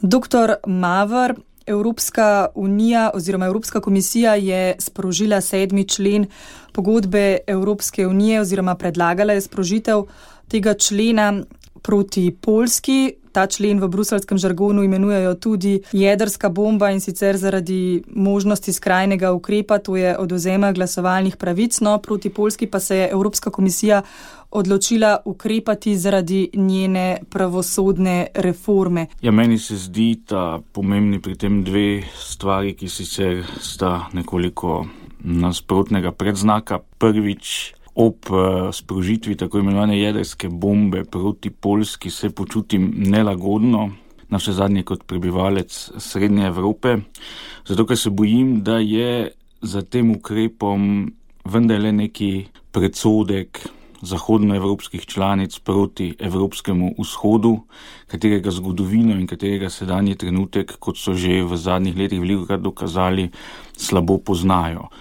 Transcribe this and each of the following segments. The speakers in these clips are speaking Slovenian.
Doktor Maver, Evropska unija oziroma Evropska komisija je sprožila 7. člen pogodbe Evropske unije oziroma predlagala je sprožitev tega člena proti Poljski. Ta člen v bruseljskem žargonu imenujejo tudi jedrska bomba, in sicer zaradi možnosti skrajnega ukrepa, to je odvzema glasovalnih pravic. No, proti Poljski pa se je Evropska komisija odločila ukrepati zaradi njene pravosodne reforme. Ja, meni se zdi ta pomembni pri tem dve stvari, ki sicer sta nekoliko nasprotnega predznaka. Prvič, ob sprožitvi tako imenovane jedrske bombe proti Poljski se počutim nelagodno, navsezadnje kot prebivalec Srednje Evrope, zato ker se bojim, da je za tem ukrepom vendarle neki predsodek zahodnoevropskih članic proti Evropskemu vzhodu, katerega zgodovino in katerega sedanji trenutek, kot so že v zadnjih letih velikokrat dokazali, slabo poznajo.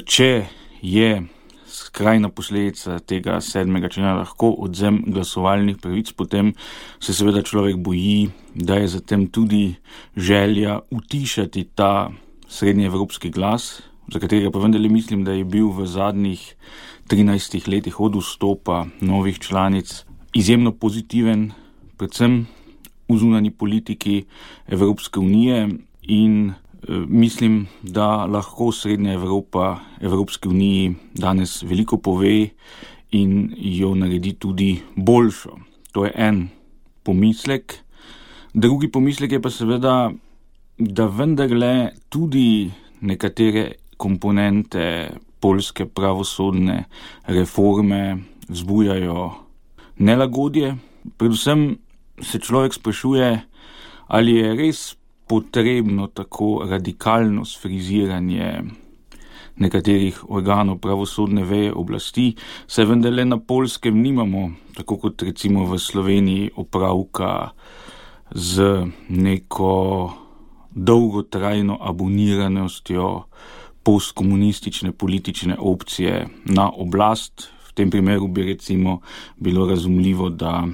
Če je skrajna posledica tega 7. člena lahko odvzem glasovalnih pravic, potem se seveda človek boji, da je zatem tudi želja utišati ta srednjeevropski glas, za katerega pa vendarle mislim, da je bil v zadnjih 13 letih od vstopa novih članic izjemno pozitiven, predvsem v zunanji politiki Evropske unije, in mislim, da lahko Srednja Evropa Evropske uniji danes veliko pove in jo naredi tudi boljšo. To je en pomislek. Drugi pomislek je pa seveda, da vendarle tudi nekatere komponente poljske pravosodne reforme vzbujajo nelagodje. Predvsem se človek sprašuje, ali je res potrebno tako radikalno sfriziranje nekaterih organov pravosodne veje oblasti, saj vendarle na Poljskem nimamo, tako kot recimo v Sloveniji, opravka z neko dolgotrajno aboniranostjo postkomunistične politične opcije na oblast. V tem primeru bi recimo bilo razumljivo, da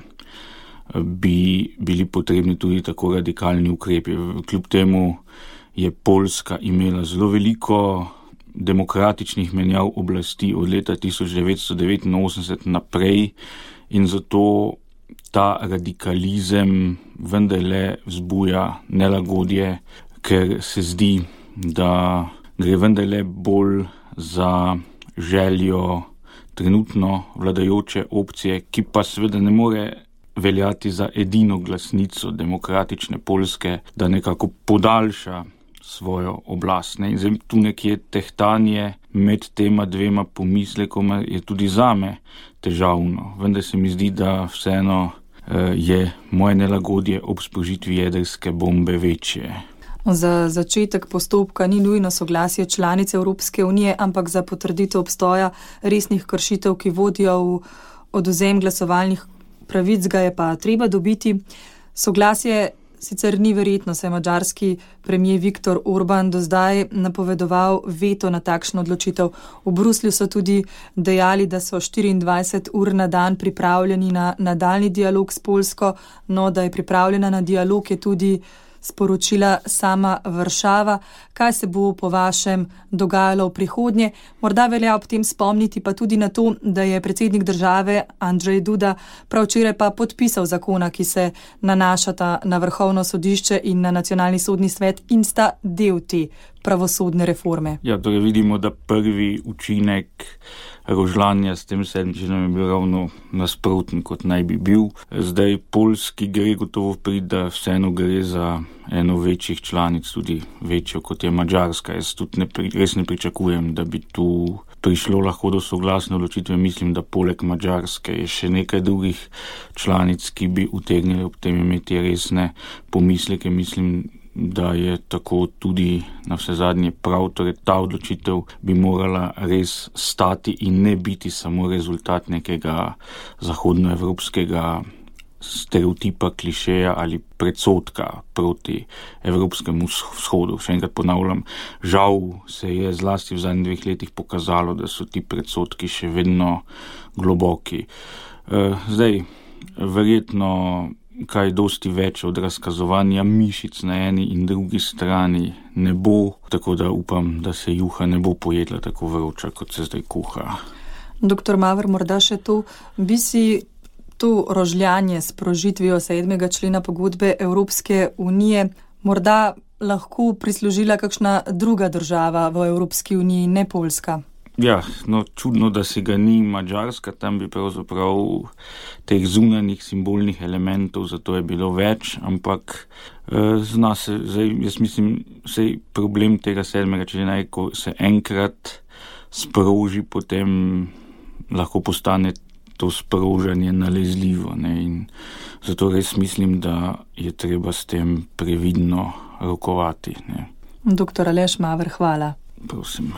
bi bili potrebni tudi tako radikalni ukrepi. Kljub temu je Poljska imela zelo veliko demokratičnih menjav oblasti od leta 1989 naprej in zato ta radikalizem vendarle vzbuja nelagodje, ker se zdi, da gre vendarle bolj za željo trenutno vladajoče opcije, ki pa seveda ne more veljati za edino glasnico demokratične Poljske, da nekako podaljša svojo oblast. In zdaj tu nekje tehtanje med tema dvema pomislekoma je tudi zame težavno. Vendar se mi zdi, da vseeno je moje nelagodje ob sprožitvi jedrske bombe večje. Za začetek postopka ni nujno soglasje članice Evropske unije, ampak za potrditev obstoja resnih kršitev, ki vodijo v odvzem glasovalnih pravic, ga je pa treba dobiti. Soglasje sicer ni verjetno, saj madžarski premier Viktor Orban do zdaj napovedoval veto na takšno odločitev. V Bruslju so tudi dejali, da so 24 ur na dan pripravljeni na nadaljnji dialog s Poljsko, no da je pripravljena na dialog, je tudi sporočila sama Varšava. Kaj se bo po vašem dogajalo v prihodnje? Morda velja ob tem spomniti pa tudi na to, da je predsednik države Andrzej Duda prav včeraj pa podpisal zakona, ki se nanašata na Vrhovno sodišče in na Nacionalni sodni svet in sta del te pravosodne reforme. Ja, torej vidimo, da prvi učinek rožljanja s tem 7. členom je bil ravno nasproten, kot naj bi bil. Zdaj Poljski gre gotovo priti, da vseeno gre za eno večjih članic, tudi večjo kot je Madžarska. Jaz tudi res ne pričakujem, da bi tu prišlo lahko do soglasne odločitve. Mislim, da poleg Madžarske je še nekaj drugih članic, ki bi utegnili ob tem imeti resne pomisleke. Mislim, da je tako tudi navsezadnje prav, torej ta odločitev bi morala res stati in ne biti samo rezultat nekega zahodnoevropskega stereotipa, klišeja ali predsodka proti Evropskemu vzhodu. Še enkrat ponavljam, žal se je zlasti v zadnjih 2 letih pokazalo, da so ti predsodki še vedno globoki. Zdaj, verjetno kaj dosti več od razkazovanja mišic na eni in drugi strani ne bo, tako da upam, da se juha ne bo pojedla tako vroča, kot se zdaj kuha. Doktor Maver, morda še to, bi si to rožljanje s sprožitvijo 7. člena pogodbe Evropske unije morda lahko prislužila kakšna druga država v Evropski uniji, ne Poljska? Ja, no, čudno, da si ga ni Madžarska, tam bi pravzaprav teh zunanjih simbolnih elementov, zato je bilo več, ampak zna se, zdaj, jaz mislim, sej problem tega 7. člena je, ko se enkrat sproži, potem lahko postane to sprožanje nalezljivo, ne, in zato res mislim, da je treba s tem previdno rokovati, ne. Doktor Aleš Maver, hvala. Prosim.